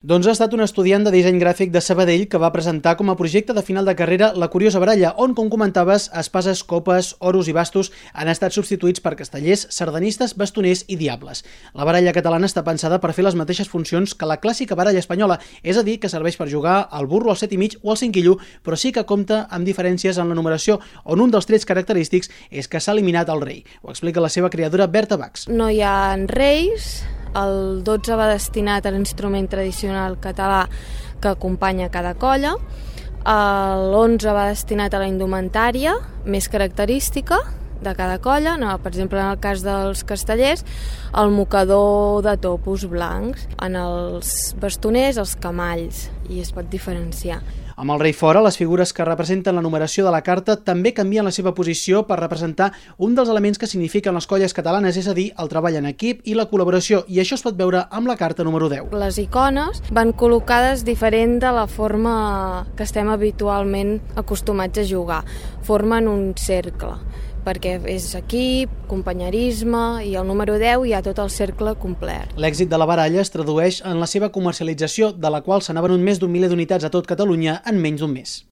Doncs ha estat un estudiant de disseny gràfic de Sabadell que va presentar com a projecte de final de carrera La curiosa baralla, on, com comentaves, espases, copes, oros i bastos han estat substituïts per castellers, sardanistes, bastoners i diables. La baralla catalana està pensada per fer les mateixes funcions que la clàssica baralla espanyola, és a dir, que serveix per jugar al burro, al 7,5 o al 5 quillo, però sí que compta amb diferències en la numeració, on un dels trets característics és que s'ha eliminat el rei. Ho explica la seva creadora Berta Bax. No hi ha reis. El 12 va destinat a l'instrument tradicional català que acompanya cada colla. L'11 va destinat a la indumentària més característica de cada colla. Per exemple, en el cas dels castellers, el mocador de topos blancs. En els bastoners, els camalls, i es pot diferenciar. Amb el rei fora, les figures que representen la numeració de la carta també canvien la seva posició per representar un dels elements que signifiquen les colles catalanes, és a dir, el treball en equip i la col·laboració, i això es pot veure amb la carta número 10. Les icones van col·locades diferent de la forma que estem habitualment acostumats a jugar. Formen un cercle, perquè és equip, companyerisme, i el número 10 hi ha tot el cercle complet. L'èxit de la baralla es tradueix en la seva comercialització, de la qual se n'ha venut més d'1 miler d'unitats a tot Catalunya en menys d'un mes.